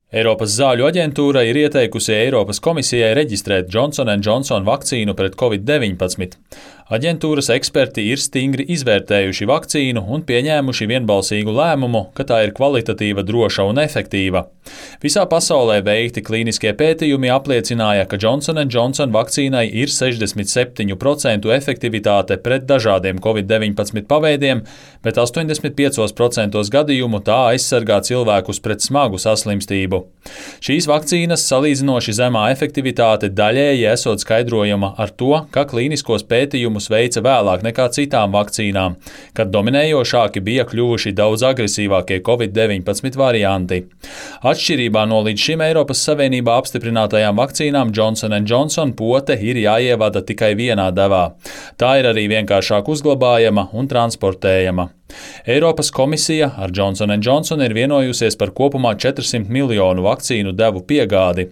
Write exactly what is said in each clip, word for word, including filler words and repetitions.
Eiropas zāļu aģentūra ir ieteikusi Eiropas komisijai reģistrēt Johnson and Johnson vakcīnu pret covid deviņpadsmit. Aģentūras eksperti ir stingri izvērtējuši vakcīnu un pieņēmuši vienbalsīgu lēmumu, ka tā ir kvalitatīva, droša un efektīva. Visā pasaulē veikti klīniskie pētījumi apliecināja, ka Johnson and Johnson vakcīnai ir sešdesmit septiņu procentu efektivitāte pret dažādiem covid deviņpadsmit paveidiem, bet astoņdesmit piecos procentos gadījumu tā aizsargā cilvēkus pret smagu saslimstību. Šīs vakcīnas salīdzinoši zemā efektivitāte daļēji esot skaidrojama ar to, ka klīniskos pētījumus veica vēlāk nekā citām vakcīnām, kad dominējošāki bija kļuvuši daudz agresīvākie covid deviņpadsmit varianti. Atšķirībā no līdz šim Eiropas Savienībā apstiprinātajām vakcīnām Johnson and Johnson pote ir jāievada tikai vienā devā. Tā ir arī vienkāršāk uzglabājama un transportējama. Eiropas komisija ar Johnson and Johnson ir vienojusies par kopumā četrsimt miljonu vakcīnu devu piegādi.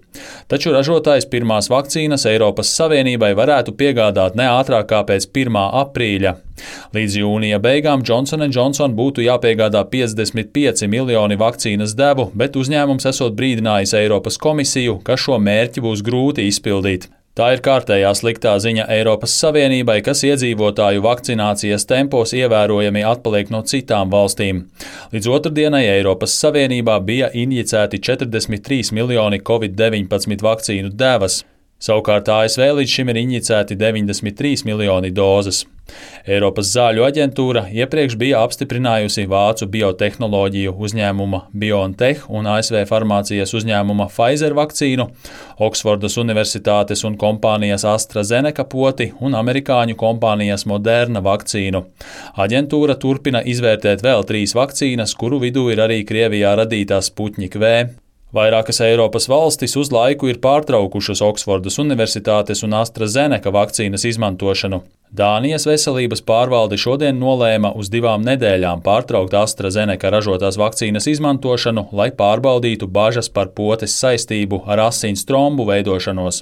Taču ražotājs pirmās vakcīnas Eiropas Savienībai varētu piegādāt ne ātrāk kā pēc pirmā aprīļa. Līdz jūnija beigām Johnson and Johnson būtu jāpiegādā piecdesmit pieci miljoni vakcīnas devu, bet uzņēmums esot brīdinājis Eiropas komisiju, ka šo mērķi būs grūti izpildīt. Tā ir kārtējā sliktā ziņa Eiropas Savienībai, kas iedzīvotāju vakcinācijas tempos ievērojami atpaliek no citām valstīm. Līdz otrdienai Eiropas Savienībā bija injicēti četrdesmit trīs miljoni covid deviņpadsmit vakcīnu devas. Savukārt A S V līdz šim ir injicēti deviņdesmit trīs miljoni dozes. Eiropas zāļu aģentūra iepriekš bija apstiprinājusi vācu biotehnoloģiju uzņēmuma BioNTech un A S V farmācijas uzņēmuma Pfizer vakcīnu, Oksfordas Universitātes un kompānijas AstraZeneca poti un amerikāņu kompānijas Moderna vakcīnu. Aģentūra turpina izvērtēt vēl trīs vakcīnas, kuru vidū ir arī Krievijā radītā Sputnik V. Vairākas Eiropas valstis uz laiku ir pārtraukušas Oksfordas Universitātes un AstraZeneca vakcīnas izmantošanu. Dānijas veselības pārvalde šodien nolēma uz divām nedēļām pārtraukt AstraZeneca ražotās vakcīnas izmantošanu, lai pārbaudītu bažas par potes saistību ar asins trombu veidošanos.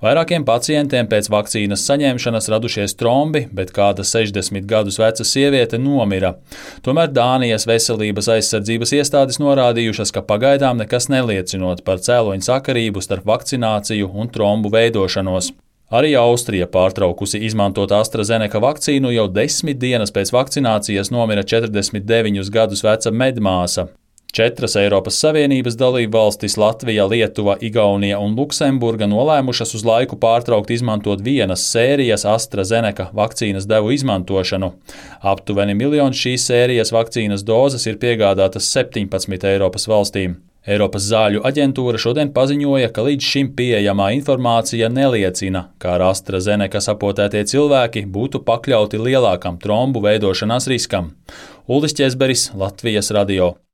Vairākiem pacientiem pēc vakcīnas saņemšanas radušies trombi, bet kāda sešdesmit gadus veca sieviete nomira. Tomēr Dānijas veselības aizsardzības iestādes norādījušas, ka pagaidām nekas neliecinot par cēloņu sakarību starp vakcināciju un trombu veidošanos. Arī Austrija pārtraukusi izmantot AstraZeneca vakcīnu, jau desmit dienas pēc vakcinācijas nomira četrdesmit deviņus gadus veca medmāsa. Četras Eiropas Savienības dalību valstis Latvija, Lietuva, Igaunija un Luksemburga nolēmušas uz laiku pārtraukt izmantot vienas sērijas AstraZeneca vakcīnas devu izmantošanu. Aptuveni miljons šīs sērijas vakcīnas dozes ir piegādātas septiņpadsmit Eiropas valstīm. Eiropas zāļu aģentūra šodien paziņoja, ka līdz šim pieejamā informācija neliecina, ka ar AstraZeneca sapotētie cilvēki būtu pakļauti lielākam trombu veidošanās riskam. Uldis Ķezberis, Latvijas radio.